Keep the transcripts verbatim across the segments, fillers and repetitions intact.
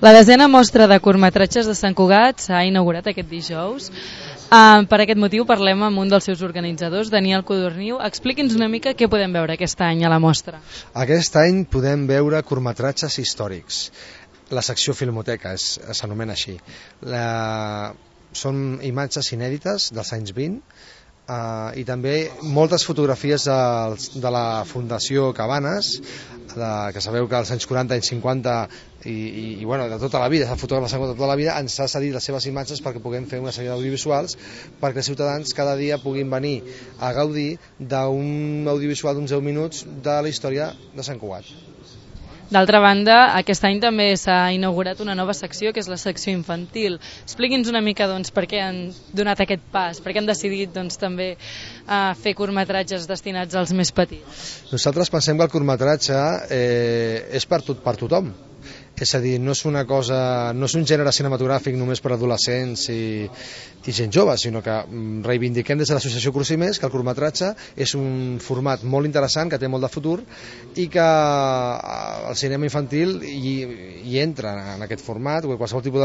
La desena mostra de curtmetratges de Sant Cugat s'ha inaugurat aquest dijous. Uh, per aquest motiu parlem amb un dels seus organitzadors, Daniel Codorniu. Expliqui'ns una mica què podem veure aquest any a la mostra. Aquest any podem veure curtmetratges històrics. La secció Filmoteca s'anomena així. La... Són imatges inèdites dels anys vint, Uh, i també moltes fotografies de, de la Fundació Cabanes, de, que sabeu que als anys quaranta, anys cinquanta i, i, i bueno, de tota la vida, el fotògraf de tota la vida ens ha cedit les seves imatges perquè puguem fer una sèrie d'audiovisuals perquè els ciutadans cada dia puguin venir a gaudir d'un audiovisual d'uns deu minuts de la història de Sant Cugat. D'altra banda, aquest any també s'ha inaugurat una nova secció, que és la secció infantil. Expliqui'ns una mica doncs, per què han donat aquest pas, per què han decidit doncs, també uh, fer curtmetratges destinats als més petits. Nosaltres pensem que el curtmetratge eh, és per, tot, per tothom. És a dir, no és una cosa, no és un gènere cinematogràfic només per adolescents i, i gent jove, sinó que reivindiquem des de l'associació Crucimers que el curtmetratge és un format molt interessant, que té molt de futur i que el cinema infantil hi, hi entra en aquest format, qualsevol tipus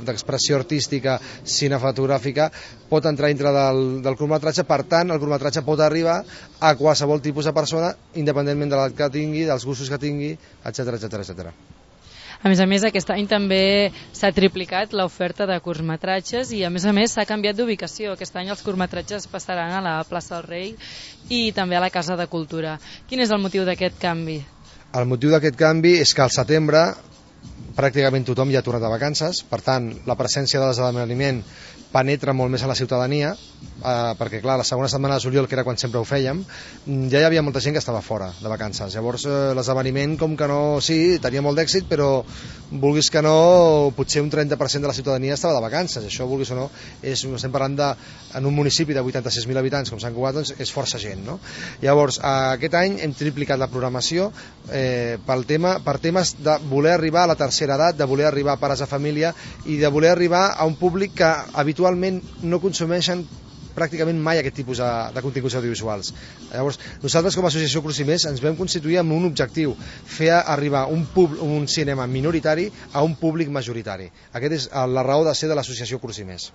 d'expressió de, de, artística cinematogràfica pot entrar dintre del, del curtmetratge, per tant el curtmetratge pot arribar a qualsevol tipus de persona independentment de l'edat que tingui, dels gustos que tingui, etcètera, etcètera, etcètera. A més a més, aquest any també s'ha triplicat l'oferta de curtmetratges i a més a més s'ha canviat d'ubicació. Aquest any els curtmetratges passaran a la plaça del Rei i també a la Casa de Cultura. Quin és el motiu d'aquest canvi? El motiu d'aquest canvi és que al setembre pràcticament tothom ja ha tornat de vacances, per tant la presència de l'esdeveniment penetra molt més a la ciutadania, eh, perquè clar, la segona setmana de juliol, que era quan sempre ho fèiem, ja hi havia molta gent que estava fora de vacances. Llavors eh, l'esdeveniment, com que no, sí, tenia molt d'èxit, però vulguis que no, potser un trenta per cent de la ciutadania estava de vacances. Això, vulguis o no, és, estem parlant de, en un municipi de vuitanta-sis mil habitants com Sant Cugat, doncs és força gent, no? Llavors, eh, aquest any hem triplicat la programació eh, pel tema, per temes de voler arribar a la tercera edat, de voler arribar a pares de família i de voler arribar a un públic que habitualment no consumeixen pràcticament mai aquest tipus de, de continguts audiovisuals. Llavors, nosaltres com a associació Crucimers ens vam constituir amb un objectiu, fer arribar un, pub, un cinema minoritari a un públic majoritari. Aquest és la raó de ser de l'associació Crucimers.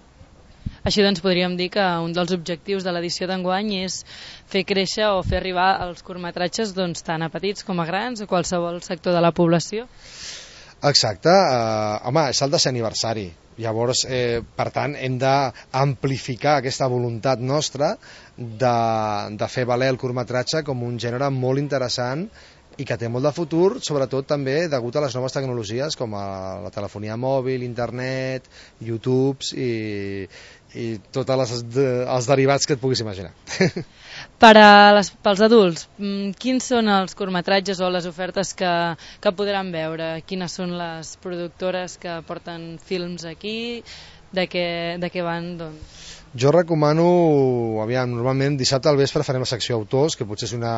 Així doncs podríem dir que un dels objectius de l'edició d'enguany és fer créixer o fer arribar els curtmetratges doncs, tant a petits com a grans, a qualsevol sector de la població. Exacte, eh, home, és el desè aniversari. Llavors, eh, per tant, hem d'amplificar aquesta voluntat nostra de, de fer valer el curtmetratge com un gènere molt interessant i que té molt de futur, sobretot també degut a les noves tecnologies com a la telefonia mòbil, internet, YouTube i, i tots els derivats que et puguis imaginar. Per a les, pels adults, quins són els curtmetratges o les ofertes que, que podran veure? Quines són les productores que porten films aquí? De què, de què van, doncs? Jo recomano, aviam, normalment dissabte al vespre farem la secció autors, que potser és una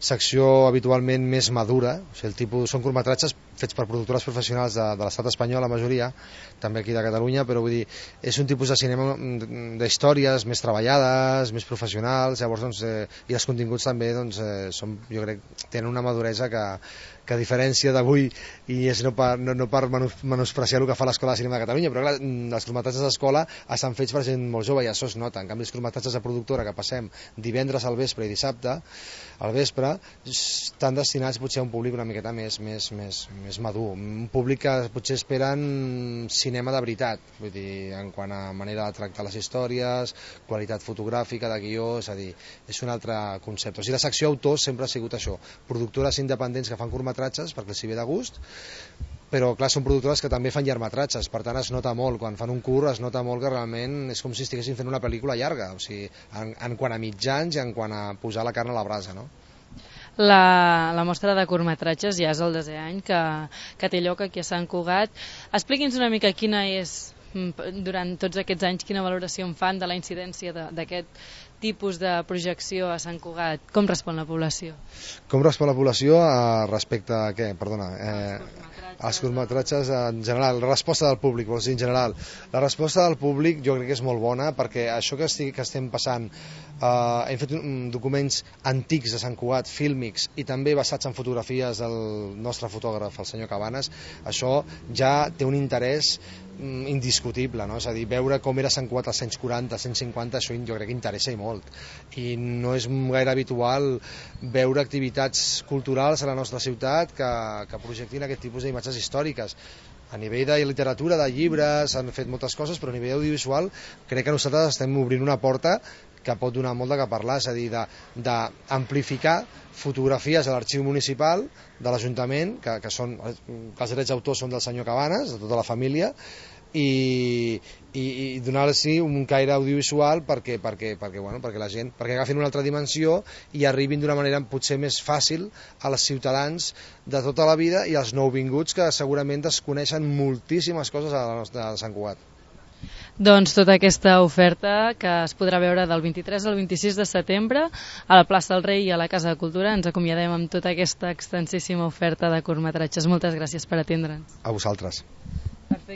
secció habitualment més madura, o sigui, el tipus, són curtmetratges fets per productores professionals de, de l'estat espanyol, la majoria, també aquí de Catalunya, però vull dir, és un tipus de cinema d'històries més treballades, més professionals, llavors, doncs, eh, i els continguts també, doncs, eh, són, jo crec, tenen una maduresa que, que a diferència d'avui, i és no per, no, no per menospreciar el que fa l'Escola de Cinema de Catalunya, però clar, els curtmetratges d'escola estan fets per gent molt jove i això es nota. En canvi, els curtmetratges de productora que passem divendres al vespre i dissabte al vespre estan destinats potser a un públic una miqueta més, més, més, més madur, un públic que potser esperen cinema de veritat, vull dir, en quant a manera de tractar les històries, qualitat fotogràfica, de guió, és a dir, és un altre concepte. O sigui, la secció autors sempre ha sigut això, productores independents que fan curtmetratges perquè els hi ve de gust, però clar, són productores que també fan llargmetratges, per tant es nota molt, quan fan un curt es nota molt que realment és com si estiguessin fent una pel·lícula llarga, o sigui, en, en quant a mitjans i en quant a posar la carn a la brasa, no? La, la mostra de curtmetratges ja és el desè any que, que té lloc aquí a Sant Cugat. Expliqui'ns una mica quina és, durant tots aquests anys, quina valoració en fan de la incidència d'aquest tipus de projecció a Sant Cugat. Com respon la població? Com respon la població respecte a què? Perdona. Eh... Els curtmetratges en general, la resposta del públic, vols dir en general. La resposta del públic jo crec que és molt bona, perquè això que, estic, que estem passant, eh, hem fet un, documents antics de Sant Cugat, fílmics, i també basats en fotografies del nostre fotògraf, el senyor Cabanes, això ja té un interès indiscutible, no? És a dir, veure com era Sant Cugat als anys quaranta, als anys cinquanta, això jo crec que interessa i molt, i no és gaire habitual veure activitats culturals a la nostra ciutat que, que projectin aquest tipus d'imatges històriques. A nivell de literatura, de llibres, s'han fet moltes coses, però a nivell audiovisual crec que nosaltres estem obrint una porta que pot donar molt de què parlar, és a dir, d'amplificar fotografies a l'arxiu municipal de l'Ajuntament, que, que són, que els drets d'autor són del senyor Cabanes, de tota la família, i, i, i donar-los un caire audiovisual perquè, perquè, perquè, bueno, perquè la gent perquè agafin una altra dimensió i arribin d'una manera potser més fàcil als ciutadans de tota la vida i als nouvinguts que segurament desconeixen moltíssimes coses a la nostra a Sant Cugat. Doncs tota aquesta oferta que es podrà veure del vint-i-tres al vint-i-sis de setembre a la plaça del Rei i a la Casa de Cultura. Ens acomiadem amb tota aquesta extensíssima oferta de curtmetratges. Moltes gràcies per atendre'ns. A vosaltres. Perfecte.